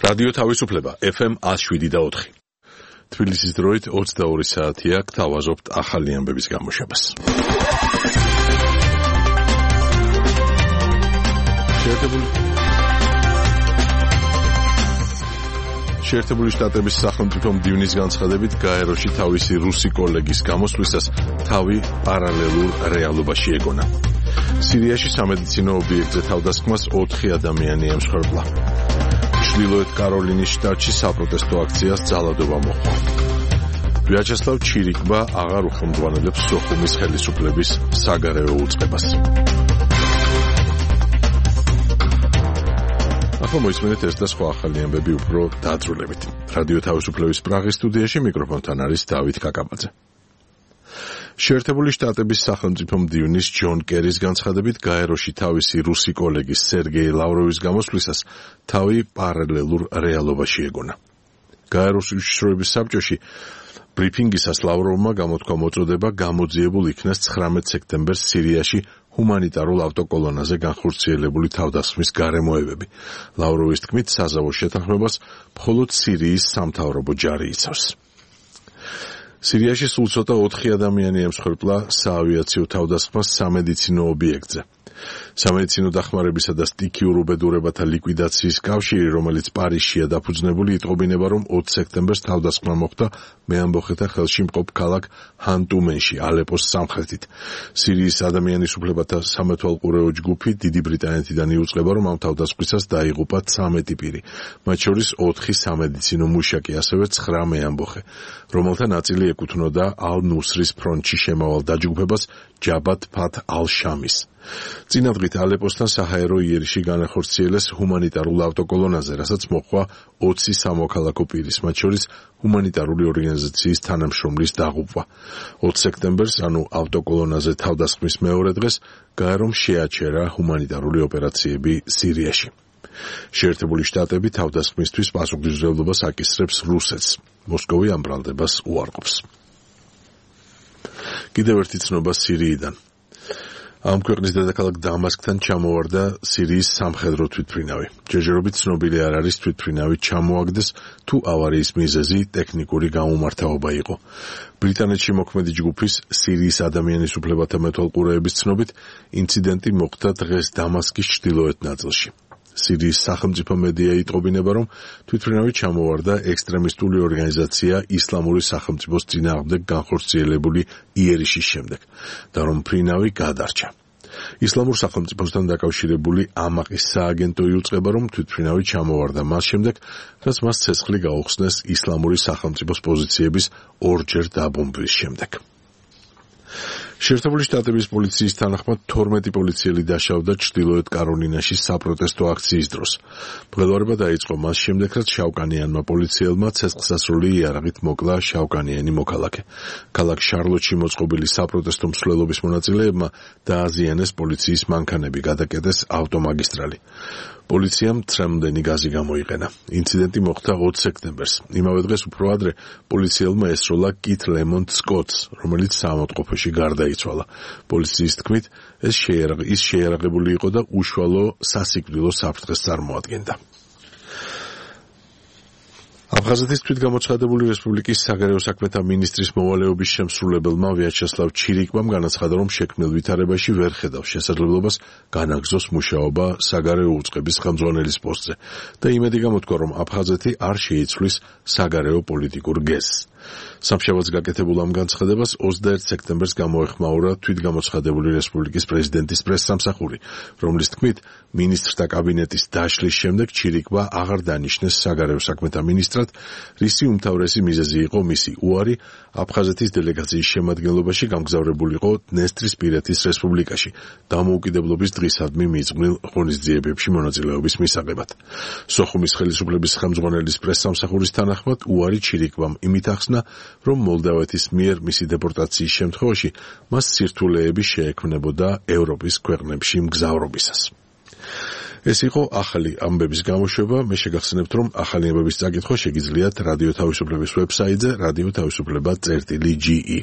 რადიო თავისუფლება FM 107.4. თბილისის დროით 22 საათია, გთავაზობთ ახალი ამბების გამოშვებას. შეერთებული შტატების სახელმწიფო მდივნის განცხადებით გაეროში თავისი რუსი კოლეგის გამოსვლისას თავი პარალელურ რეალობაში ეგონა. სირიაში სამედიცინო ობიექტზე თავდასხმას 4 ადამიანი ემსხვერპლა. ჩრდილოეთ კაროლინის შტატში საპროტესტო აქციას ძალადობა მოჰყვა. ვიაჩესლავ ჩირიკბა აღარ უხელმძღვანელებს სოხუმის ხელისუფლების საგარეო უწყებას. ახლა მოისმენთ ეს და სხვა ახალი ამბები უფრო დაწვრილებით. რადიო თავისუფლების პრაღის სტუდიაში მიკროფონთან არის დავით კაკაბაძე. შეერთებული შტატების სახელმწიფო მდივნის ჯონ კერის განცხადებით გაეროში თავისი რუსი კოლეგის სერგეი ლავროვის გამოსვლისას თავი პარალელურ რეალობაში ეგონა. გაეროს უშიშროების საბჭოში ბრიფინგისას ლავროვმა გამოთქვა მოწოდება გამოძიებულ იქნას 19 სექტემბერს სირიაში ჰუმანიტარულ ავტოკოლონაზე განხორციელებული თავდასხმის გარემოებები. ლავროვის თქმით, საზავო შეთანხმებას მხოლოდ სირიის სამთავრობო ჯარი იცავს. სირიაში სულ ცოტა 4 ადამიანი ემსხვერპლა საავიაციო თავდასხმას სამედიცინო ობიექტზე. სამედიცინო დახმარებისა და სტიქიურ უბედურებათა ლიკვიდაციის კავშირი, რომელიც პარიზშია დაფუძნებული, იტყობინება, რომ 20 სექტემბერს თავდასხმა მოხდა მეამბოხეთა ხელში მყოფ ქალაქ ჰანტუმენში, ალეპოს სამხრეთით. სირიის ადამიანის უფლებათა სამეთვალყურეო ჯგუფი დიდი ბრიტანეთიდან იუწყება, რომ ამ თავდასხმისას დაიღუპა 13 პირი, მათ შორის 4 სამედიცინო მუშაკი, ასევე 9 მეამბოხე, რომელთა ნაწილი ეკუთვნოდა ალ-ნუსრის ფრონტში შემავალ დაჯგუფებას ჯაბათ ფათ ალ-შამის. წინადღით ალეპოსთან საჰაერო იერიში განახორციელეს ჰუმანიტარულ ავტოკოლონაზე, რასაც მოჰყვა 20 სამოქალაქო პირის, მათ შორის ჰუმანიტარული ორგანიზაციის თანამშრომლის დაღუპვა. 20 სექტემბერს, ანუ ავტოკოლონაზე თავდასხმის მეორე დღეს, გაერომ შეაჩერა ჰუმანიტარული ოპერაციები სირიაში. შეერთებული შტატები თავდასხმისთვის პასუხისმგებლობას აკისრებს რუსეთს. მოსკოვი ამ ბრალდებას უარყოფს. კიდევ ერთი ცნობა სირიიდან. ამ ქვეყნის დედაქალაქ დამასკთან ჩამოვარდა სირიის სამხედრო თვითმფრინავი. ჯერჯერობით ცნობილი არ არის თვითმფრინავი ჩამოაგდეს თუ ავარიის მიზეზი ტექნიკური გაუმართავობა იყო. ბრიტანეთში მოქმედი ჯგუფის სირიის ადამიანის უფლებათა მეთვალყურეების ცნობით, ინციდენტი მოხდა დღეს დამასკის ჩრდილოეთ ნაწილში. სირიის სახელმწიფო მედია იტყობინება, რომ თვითმფრინავი ჩამოვარდა ექსტრემისტული ორგანიზაცია ისლამური სახელმწიფოს წინააღმდეგ განხორციელებული იერიშის შემდეგ და რომ მფრინავი გადარჩა. ისლამურ სახელმწიფოსთან დაკავშირებული ამაყის სააგენტო იუწყება, რომ თვითმფრინავი ჩამოვარდა მას შემდეგ, რაც მას ცეცხლი გაუხსნეს ისლამური სახელმწიფოს პოზიციების ორჯერ დაბომბვის შემდეგ. შეერთებული შტატების პოლიციის თანახმად 12 პოლიციელი დაშავდა ჩრდილოეთ კაროლინაში საპროტესტო აქციის დროს. მღელვარება დაიწყო მას შემდეგ, რაც შავკანიანმა პოლიციელმა ცეცხლსასროლი იარაღით მოკლა შავკანიანი მოქალაქე. ქალაქ შარლოტში მოწყობილი საპროტესტო მსვლელობის მონაწილეებმა დააზიანეს პოლიციის მანქანები, გადაკეტეს ავტომაგისტრალი. პოლიციამ ცრემლდენი გაზი გამოიყენა. ინციდენტი მოხდა 20 სექტემბერს. იმავე დღეს უფრო ადრე პოლიციელმა ესროლა კით ლემონტ სკოტს, რომელიც საავადმყოფოში გარდაიცვალა. პოლიციის თქმით, ის შეიარაღებული იყო და უშუალო სასიკვდილო საფრთხეს წარმოადგენდა. აფხაზეთის თვითგამოცხადებული რესპუბლიკის საგარეო საქმეთა მინისტრის მოვალეობის შემსრულებელმა ვიაჩესლავ ჩირიკბამ განაცხადა, რომ შექმნილ ვითარებაში ვერ ხედავს შესაძლებლობას განაგრძოს მუშაობა საგარეო უწყების ხელმძღვანელის პოსტზე და იმედი გამოთქვა, რომ აფხაზეთი არ შეიცვლის საგარეო პოლიტიკურ გეზს. სამშაბათს გაკეთებულ ამ განცხადებას 21 სექტემბერს გამოეხმაურა თვითგამოცხადებული რესპუბლიკის პრეზიდენტის პრესსამსახური, რომლის თქმით, მინისტრთა კაბინეტის დაშლის შემდეგ ჩირიკბა აღარ დანიშნეს საგარეო საქმეთა მინისტრად, რისი უმთავრესი მიზეზი იყო მისი უარი აფხაზეთის დელეგაციის შემადგენლობაში გამგზავრებულიყო დნესტრისპირეთის რესპუბლიკაში დამოუკიდებლობის დღისადმი მიძღვნილ ღონისძიებებში მონაწილეობის მისაღებად. სოხუმის ხელისუფლების ხელმძღვანელის პრესსამსახურის თანახმად უარი ჩირიკბამ იმით ახსნა, რომ მოლდავეთის მიერ მისი დეპორტაციის შემთხვევაში მას სირთულეები შეექმნებოდა ევროპის ქვეყნებში მგზავრობისას. ეს იყო ახალი ამბების გამოშვება. მე შეგახსენებთ, რომ ახალი ამბების წაკითხვა შეგიძლიათ რადიო თავისუფლების ვებსაიტზე radioთავისუფლება.ge.